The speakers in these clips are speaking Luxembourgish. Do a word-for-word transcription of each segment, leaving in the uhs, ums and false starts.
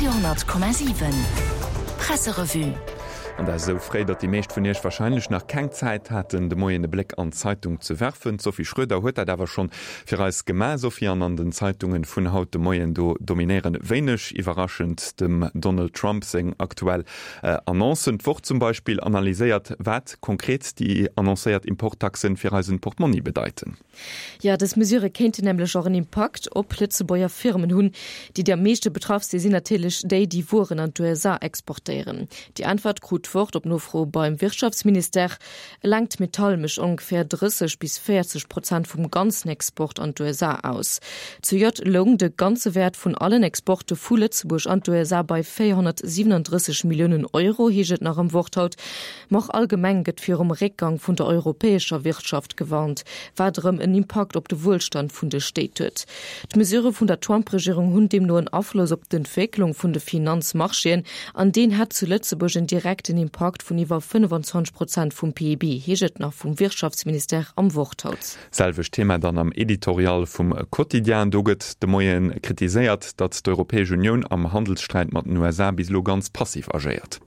Radio honnert Komma siwen Presserevue. An dat esou fréi, datt déi meescht vun iech warscheinlech nach keng Zäit haten, de Moien e Bléck an d'Zeitung ze werfen. D'Sophie Schröder huet dat awer schonn fir eis gemaach. Sophie, an an den Zeitungen vun haut de Moien, do dominéieren wéineg iwwerraschend dem Donald Trump seng aktuell Annoncen. D'Wort zum Beispill analyséiert, wat konkret déi annoncéiert Importtaxen fir eisen Portmonni bedeiten. Jo, dës Mesure kéinten nämlech och en Impakt op Lëtzebuerger Firmen hunn. Déi, déi am meeschte betraff si sinn natierlech déi, déi Wueren an d'USA exportéieren. Déi Äntwert krut d'Wort op Nofro beim Wirtschaftsministère. Eleng d'Metall mécht ongeféier drësseg bis véierzeg Prozent vum ganzen Export an d'USA aus. Zejoert loung de ganze Wäert vun allen Exporte vu Lëtzebuerg an d'USA bei véierhonnertsiwwenunddrësseg Milliounen Euro, heescht et nach am Wort haut. Ma och allgemeng gëtt virum Réckgang vun der europäescher Wirtschaft gewarnt, wat erëm en Impakt op de Wuelstand vun de Stéit huet. D'Mesurë vun der Trump-Regierung hunn deemno en Afloss op d'Entwécklung vun de Finanzmarchéen an deen hätt zu Lëtzebuerg en direkten Impakt vun iwwer fënnefenzwanzeg Prozent vum P I B, heescht et nach vum Wirtschaftsministère am Wort haut. Selwecht Thema dann am Editorial vum Quotidien. Do gëtt de Moie kritiséiert, datt d'Europäesch Unioun am Handelssträit mat den U S A bis elo ganz passiv agéiert.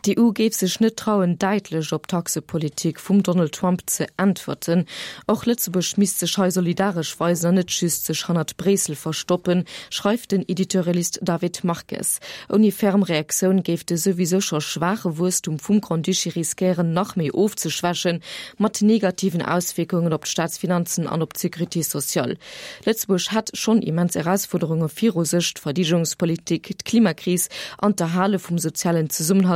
D'E U géif sech net trauen, däitlech op d'Taxepolitik vum Donald Trump ze äntwerten. Och Lëtzebuerg misst sech hei solidaresch weisen an net just sech hannert Bréissel verstoppen, schreift den Editorialist David Marques. Ouni ferm Reaktioun géif de souwisou scho schwaache Wuesstum vum Grand-Duché riskéieren, nach méi ofzeschwächen, mat negativen Auswierkungen op d'Staatsfinanzen an op d'Sécurité sociale. Lëtzebuerg hätt schonn immens Erausfuerderunge viru sech, d'Verdeedegungspolitik, d'Klimakris an d'Erhale vum sozialen Zesummenhalt.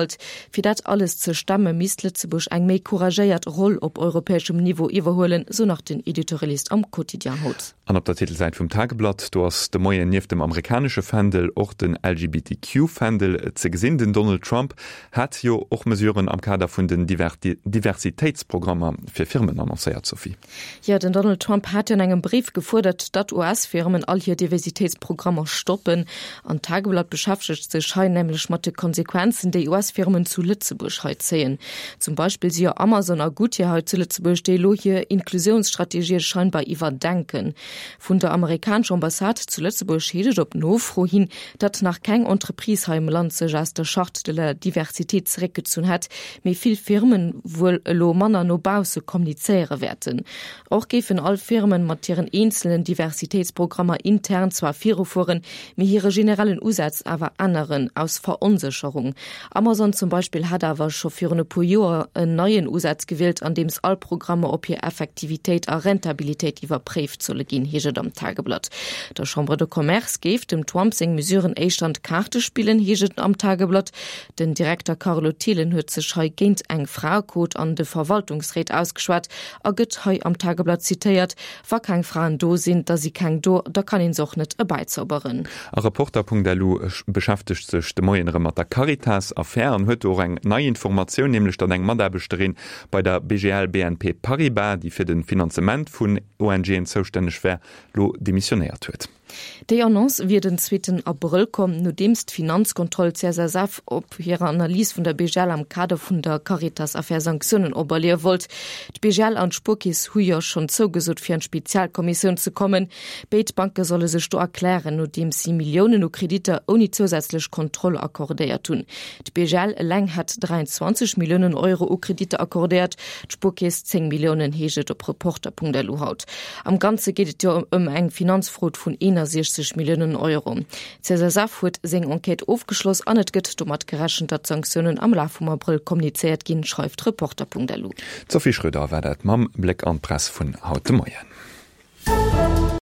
Fir dat alles ze stemme misst Lëtzebuerg eng méi couragéiert Roll op europäeschem Niveau iwwerhuelen, sou nach den Editorialist am Quotidien haut. An op der Titelsäit vum Tageblatt, do ass de Moien nieft dem amerikanesche Fändel och den L G B T Q Fändel ze gesinn. Den Donald Trump hat jo och Mesuren am Kader vun den Diversitéitsprogrammer fir Firmen annoncéiert, Sophie. Jo, den Donald Trump hat jo an engem Bréif gefuerdert, datt U S-Firmen all hir Diversitéitsprogrammer stoppen. An d'Tageblatt beschäftegt sech hei nämlech mat de Konsequenzen, déi U S-Firmen zu Lëtzebuerg hei zéien. Zum Beispill si jo Amazon a Goodyear hei zu Lëtzebuerg, déi elo hir Inklusiounsstrategië scheinbar iwwerdenken. Vun der amerikanescher Ambassade zu Lëtzebuerg heescht et op Nofro hin, datt nach keng Entreprise hei am Land sech aus der Charte de la diversité zeréckgezunn hätt, mee vill Firmen wuel elo manner no bausse kommunizéiere wäerten. Och géifen all Firmen mat hiren eenzelen Diversitéitsprogrammer intern zwar virufueren, mee hire generellen Usaz awer änneren, aus Veronsécherung. Amazon zum Beispill hat awer scho virun e puer Joer en neien Usaz gewielt, andeems all Programmer op hir Effektivitéit a Rentabilitéit iwwerpréift solle ginn, heescht et am Tageblatt. Der Chambre de Commerce géif dem Trump seng Mesuren éischter an d'Kaarte spillen, heescht et am Tageblatt. Den Direkter Carlo Thelen huet sech hei géint eng Fraequot an de Verwaltungsréit ausgeschwat a gëtt hei am Tageblatt zitéiert, Wa keng Fraen do sinn, da si keng do, da kann een se och net erbäizauberen. A Reporter Punkt L U beschäftegt sech de Moien erëm mat der Caritas-Affär an huet do och eng nei Informatioun, nämlech datt eng Mataarbechterin bei der B G L B N P Paribas, déi fir de Finanzement vun O N G'en zoustänneg wär, lo demissionéiert huet. Déi Annonce wier den zweeten Abrëll komm, nodeems d'Finanzkontroll C S S F op hirer Analys vun der B G L am Kader vun der Caritas-Affär Sanktiounen operléie wollt. D'B G L an d'Spuerkeess hu jo schonn zougesot, fir an d'Spezialkommissioun ze kommen. Béid Banke solle sech do erklären, nodeems si Milliounen u Kreditter ouni zousätzlech Kontroll accordéiert hunn. D'B G L eleng hat dräianzwanzeg Milliounen Euro u Kreditter accordéiert, d'Spuerkeess zéng Milliounen, heescht et op Reporter Punkt L U haut. Am Ganze geet et jo ëm eng Finanzfrod vun eenasechzeg Milliounen Euro. D' C S S F huet seng Enquête ofgeschloss an et gëtt domat gerechent, datt d'Sanktiounen am Laf vum Abrëll kommunizéiert ginn, schreift Reporter Punkt L U. D'Sophie Schröder war dat mam Bléck an d'Press vun haut de Moien.